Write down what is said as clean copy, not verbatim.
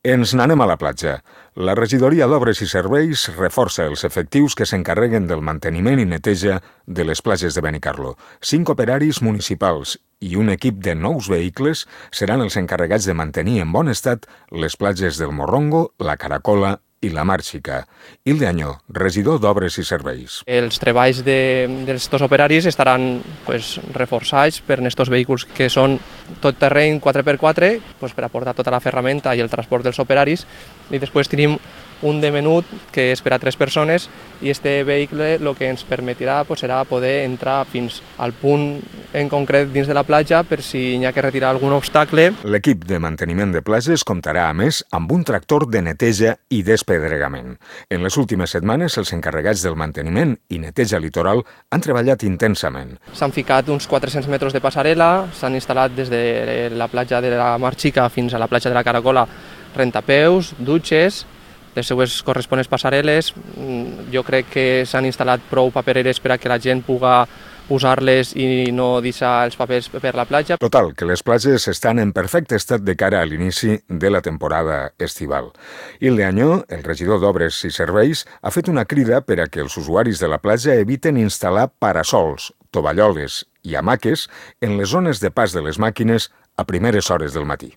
Ens n'anem a la platja. La regidoria d'Obres i Serveis reforça els efectius que s'encarreguen del manteniment i neteja de les platges de Benicarló. 5 operaris municipals i un equip de 9 vehicles seran els encarregats de mantenir en bon estat les platges del Morrongo, la Caracola i la Mar Xica. Hilde Añó, regidor d'Obres i Serveis. Els treballs d'estos operaris estaran reforçats per estos vehicles que són tot terreny 4x4 per aportar tota la ferramenta i el transport dels operaris, i després tenim un de menut que és per a 3 persones, i este vehicle el que ens permetirà serà poder entrar fins al punt en concret dins de la platja per si hi ha que retirar algun obstacle. L'equip de manteniment de platges comptarà a més amb un tractor de neteja i despedregament. En les últimes setmanes els encarregats del manteniment i neteja litoral han treballat intensament. S'han ficat uns 400 metres de passarel·la, s'han instal·lat des de la platja de la Mar Xica fins a la platja de la Caracola rentapeus, dutxes, les seues corresponents passarel·les. Jo crec que s'han instal·lat prou papereres per a que la gent pugui usar-les i no deixar els papers per la platja. Total, que les platges estan en perfecte estat de cara a l'inici de la temporada estival. Hilde Añó, el regidor d'Obres i Serveis, ha fet una crida per a que els usuaris de la platja eviten instal·lar parasols, tovalloles i hamaques en les zones de pas de les màquines a primeres hores del matí.